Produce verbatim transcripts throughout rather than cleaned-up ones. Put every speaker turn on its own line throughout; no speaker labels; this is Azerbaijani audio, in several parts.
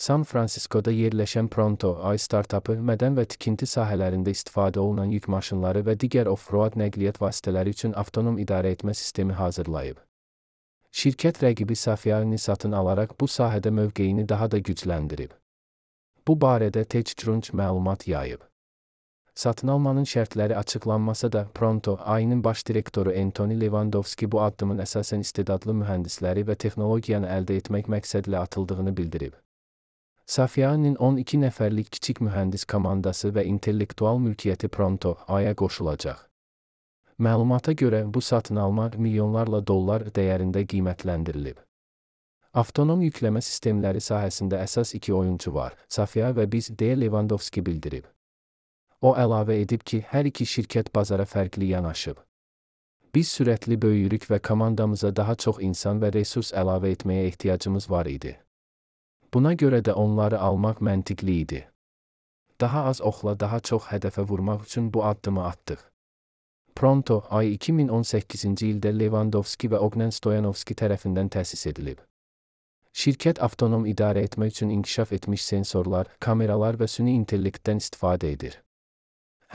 San Francisco'da yerləşən Pronto A I startapı mədən və tikinti sahələrində istifadə olunan yük maşınları və digər off-road nəqliyyat vasitələri üçün avtonom idarəetmə sistemi hazırlayıb. Şirkət rəqibi Safeaini satın alaraq bu sahədə mövqeyini daha da gücləndirib. Bu barədə TechCrunch məlumat yayıb. Satın almanın şərtləri açıqlanmasa da, Pronto A I-nin baş direktoru Anthony Levandowski bu addımın əsasən istedadlı mühəndisləri və texnologiyanı əldə etmək məqsədilə atıldığını bildirib. Safeaini'nin on iki nəfərlik kiçik mühəndis komandası və intellektual mülkiyyəti Pronto A I-ya qoşulacaq. Məlumata görə bu satın alma milyonlarla dollar dəyərində qiymətləndirilib. Avtonom yükləmə sistemləri sahəsində əsas iki oyunçu var, Safea və biz, deyə Levandowski bildirib. O əlavə edib ki, hər iki şirkət bazara fərqli yanaşıb. Biz sürətli böyüyürük və komandamıza daha çox insan və resurs əlavə etməyə ehtiyacımız var idi. Buna görə də onları almaq məntiqli idi. Daha az oxla daha çox hədəfə vurmaq üçün bu addımı atdıq. Pronto A I iki min on səkkizinci ildə Levandowski və Ognen Stoyanovski tərəfindən təsis edilib. Şirkət avtonom idarə etmək üçün inkişaf etmiş sensorlar, kameralar və süni intellektdən istifadə edir.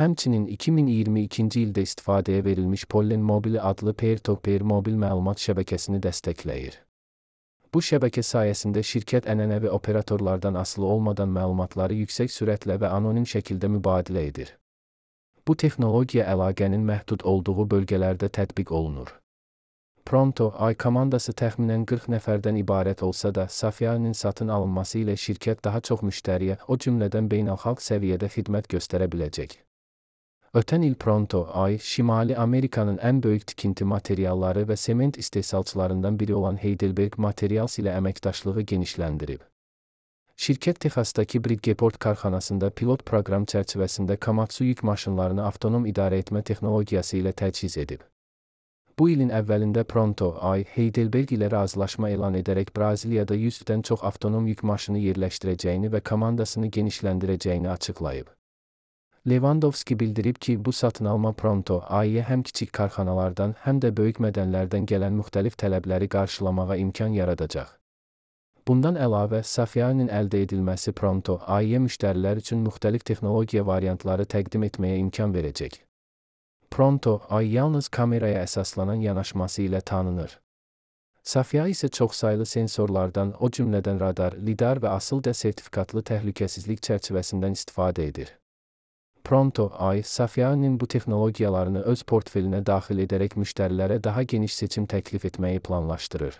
Həmçinin iki min iyirmi ikinci ildə istifadəyə verilmiş Pollen Mobile adlı peer-to-peer mobil məlumat şəbəkəsini dəstəkləyir. Bu şəbəkə sayəsində şirkət ənənəvi operatorlardan asılı olmadan məlumatları yüksək sürətlə və anonim şəkildə mübadilə edir. Bu texnologiya əlaqənin məhdud olduğu bölgələrdə tətbiq olunur. Pronto A I komandası təxminən qırx nəfərdən ibarət olsa da, Safeaini'nin satın alınması ilə şirkət daha çox müştəriyə, o cümlədən beynəlxalq səviyyədə xidmət göstərə biləcək. Ötən il Pronto A I, Şimali Amerikanın ən böyük tikinti materialları və sement istehsalçılarından biri olan Heidelberg Materials ilə əməkdaşlığı genişləndirib. Şirkət Texasdakı Bridgeport karxanasında pilot proqram çərçivəsində Komatsu yük maşınlarını avtonom idarə etmə texnologiyası ilə təchiz edib. Bu ilin əvvəlində Pronto A I, Heidelberg ilə razılaşma elan edərək Braziliyada yüzdən çox avtonom yük maşını yerləşdirəcəyini və komandasını genişləndirəcəyini açıqlayıb. Levandowski bildirib ki, bu satın alma Pronto A I-yə həm kiçik karxanalardan, həm də böyük mədənlərdən gələn müxtəlif tələbləri qarşılamağa imkan yaradacaq. Bundan əlavə, Safeaini'nin əldə edilməsi Pronto A I-yə müştərilər üçün müxtəlif texnologiya variantları təqdim etməyə imkan verəcək. Pronto A I yalnız kameraya əsaslanan yanaşması ilə tanınır. Safea isə çoxsaylı sensorlardan, o cümlədən radar, lidar və asılca sertifikatlı təhlükəsizlik çərçivəsindən istifadə edir. Pronto A I, Safeaini'nin bu texnologiyalarını öz portfelinə daxil edərək müştərilərə daha geniş seçim təklif etməyi planlaşdırır.